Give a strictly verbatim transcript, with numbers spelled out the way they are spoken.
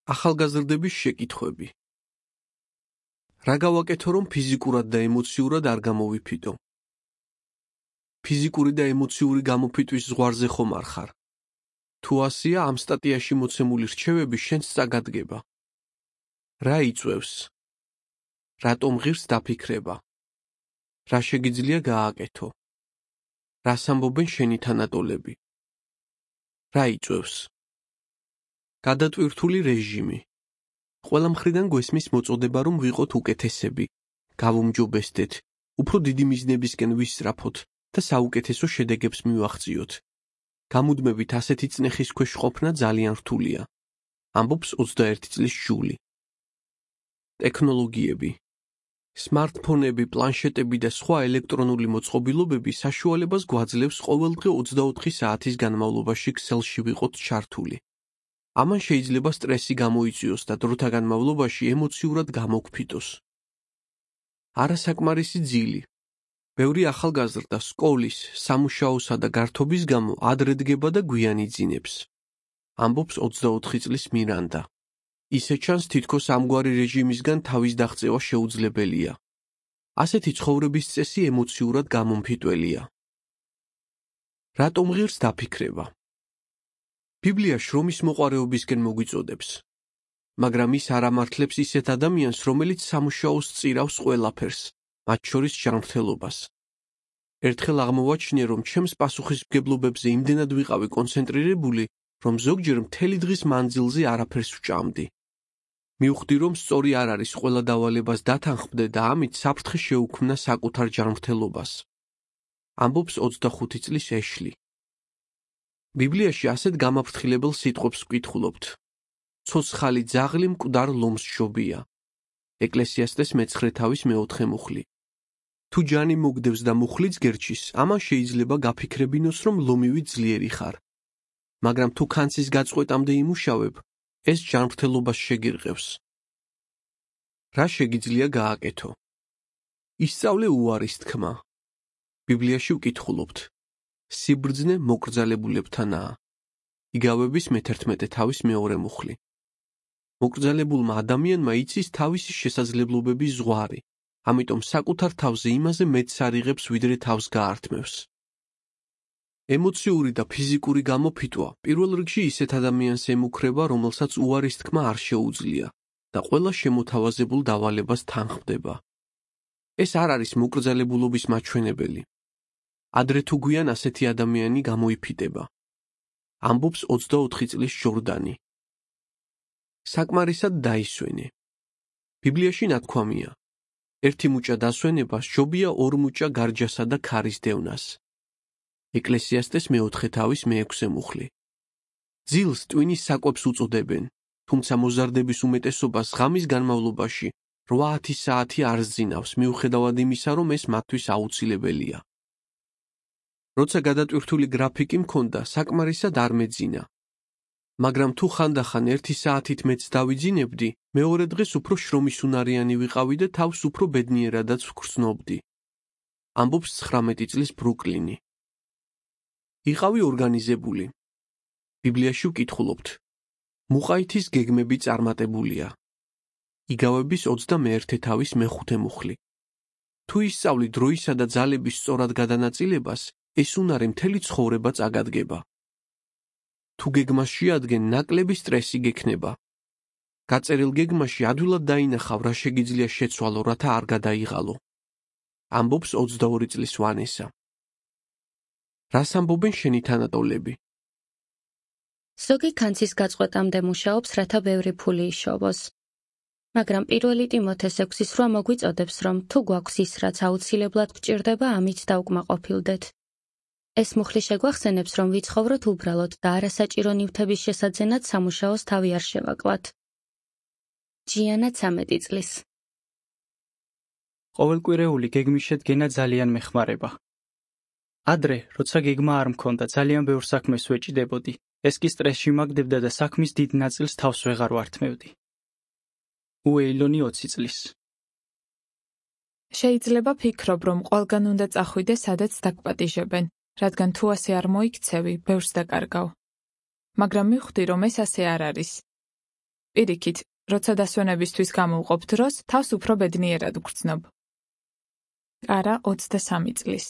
ახალგაზრდების შეკითხვები. რა გავაკეთო, რომ ფიზიკურად და ემოციურად არ გამოვიფიტო? ფიზიკური და ემოციური გამოფიტვის ზღვარზე ხომ არ ხარ? თუ ასია, ამ სტატიაში მოცემული რჩევები შენს წაგადგება. რა იწვევს? რატომ ღირს დაფიქრება? რა შეგიძლია გააკეთო? რას ამბობენ შენი თანატოლები? რა იწვევს? გადატვირთული რეჟიმი. ყველა მხრიდან გვესმის მოწოდება, რომ ვიყოთ უკეთესები, გავუმჯობესდეთ, უფრო დიდი მიზნებისკენ ვისწრაფოთ და საუკეთესო შედეგებს მივაღწიოთ. გამუდმებით ასეთი წნეხის ქვეშ ყოფნა ძალიან რთულია. ამბობს ოცდაერთი წლის ჟული. ტექნოლოგიები. სმარტფონები, პლანშეტები და სხვა ელექტრონული მოწყობილობები საშუალებას გვაძლევს ყოველდღე ოცდაოთხი საათის განმავლობაში ქსელში ვიყოთ ჩართული. ამან შეიძლება სტრესი გამოიწვიოს და დროთა განმავლობაში ემოციურად გამოგვფიტოს. არასაკმარისი ძილი. ბევრი ახალგაზრდა სკოლის, სამუშაოსა და გართობის გამო ადრე დგება და გვიან იძინებს. ამბობს ოცდაოთხი წლის მირანდა. ისე ჩანს, თითქოს ამგვარი რეჟიმისგან თავის დაღწევა შეუძლებელია. ასეთი ცხოვრების წესი ემოციურად გამომფიტველია. რატომ ღირს დაფიქრება? ბიბლია შრომის მოყვარეობისკენ მოგვიწოდებს. მაგრამ ის არ ამართლებს ისეთ ადამიანს, რომელიც სამუშაოს წირავს ყველაფერს, მათ შორის ჯანმრთელობას. ერთხელ აღმოვაჩინე, რომ ჩემს პასუხისმგებლობებზე იმდენად ვიყავი კონცენტრირებული, რომ ზოგჯერ მთელი დღის მანძილზე არაფერს ვჭამდი. მივხვდი, რომ სწორი არ არის ყველა დავალებას დათანხმდე და ამით საფრთხე შეუქმნა საკუთარ ჯანმრთელობას. ამბობს ოცდახუთი წლის ეშლი. ბიბლიაში ასეთ გამაფრთხილებელ სიტყვებს ვკითხულობთ. ცოცხალი ძაღლი მკვდარ ლომს შობია. ეკლესიასტეს მეცხრე თავის მეოთხე მუხლი. თუ ჯანი მოგდევს და მუხლიც გერჩის, ამან შეიძლება გაფიქრებინოს, რომ ლომივი ძლიერი ხარ. მაგრამ თუ ქანცის გაწყვეტამდე იმუშავებ, ეს ჯანმრთელობას შეგირყევს. რა შეგიძლია გააკეთო? ისწავლე უარის თქმა. ბიბლიაში ვკითხულობთ. სიბრძნე მოკრძალებულებთანაა. იგავების მეთერთმეტე თავის მეორე მუხლი. მოკრძალებულმა ადამიანმა იცის თავისი შესაძლებლობების ზღვარი, ამიტომ საკუთარ თავზე იმაზე მეტს არ იღებს, ვიდრე თავს გაართმევს. ემოციური და ფიზიკური გამოფიტვა პირველ რიგში ისეთ ადამიანს ემუქრება, რომელსაც უარის თქმა არ შეუძლია და ყველა შემოთავაზებულ დავალებას თანხმდება. ეს არ არის მოკრძალებულობის მაჩვენებელი. ადრე თუ გვიან ასეთი ადამიანი გამოიფიტება. ამბობს ოცდაოთხი წლის ჟორდანი. საკმარისად დაისვენე. ბიბლიაში ნათქვამია. ერთი მუჭა დასვენება სჯობია ორ მუჭა გარჯასა და ქარის დევნას. ეკლესიასტეს მეოთხე თავის მეექვსე მუხლი. ძილს ტვინის საკვებს უწოდებენ, თუმცა მოზარდების უმეტესობას ღამის განმავლობაში რვა-ათი საათი არ სძინავს, მიუხედავად იმისა, რომ ეს მათთვის აუცილებელია. როცა გადატვირთული გრაფიკი მქონდა, საკმარისად არ მეძინა. მაგრამ თუ ხანდახან ერთი საათით მეც დავიძინებდი, მეორე დღეს უფრო შრომისუნარიანი ვიყავი და თავს უფრო ბედნიერადაც ვგრძნობდი. ამბობს ცხრამეტი წლის ბრუკლინი. იყავი ორგანიზებული. ბიბლიაში ვკითხულობთ. მუყაითის გეგმები წარმატებულია. იგავების ოცდამეერთე თავის მეხუთე მუხლი. თუ ისწავლი დროისა და ძალების სწორად გადანაწილებას, ეს უნარი მთელი ცხოვრება წაგადგება. თუ გეგმას შეადგენ, ნაკლები სტრესი გექნება. გაწერილ გეგმაში ადვილად დაინახავ, რა შეგიძლია შეცვალო, რათა არ გადაიღალო. ამბობს ოცდაორი წლის ვანესა. რას ამბობენ შენი თანატოლები? ზოგი ქანცის გაწყვეტამდე მუშაობს, რათა ბევრი ფული იშოვოს. მაგრამ პირველი ტიმოთეს ექვსის რვა მოგვიწოდებს, რომ თუ გვაქვს ის, რაც აუცილებლად გვჭირდება, ამით დაუკმაყოფილდეთ. ეს მუხლი შეგვახსენებს, რომ ვიცხოვროთ უბრალოდ და არასაჭირო ნივთების შესაძენად სამუშაოს თავი არ შევაკლათ. ჯიანა ცამეტი წლის. ყოველკვირეული გეგმის შედგენა ძალიან მეხმარება. ადრე, როცა გეგმა არ მქონდა, ძალიან ბევრ საქმეს ვეჭიდებოდი. ეს კი სტრესში მაგდებდა და საქმის დიდ ნაწილს თავს ვეღარ ვართმევდი. უეილონი ოცი წლის. შეიძლება ფიქრობ, რომ ყველგან უნდა წახვიდე, სადაც დაგპატიჟებენ, რადგან თუ ასე არ მოიქცევი, ბევრს დაკარგავ. მაგრამ მივხვდი, რომ ეს ასე არ არის. პირიქით, როცა დასვენებისთვის გამოვყოფ დროს, თავს უფრო ბედნიერად ვგრძნობ. კარა ოცდასამი წლის.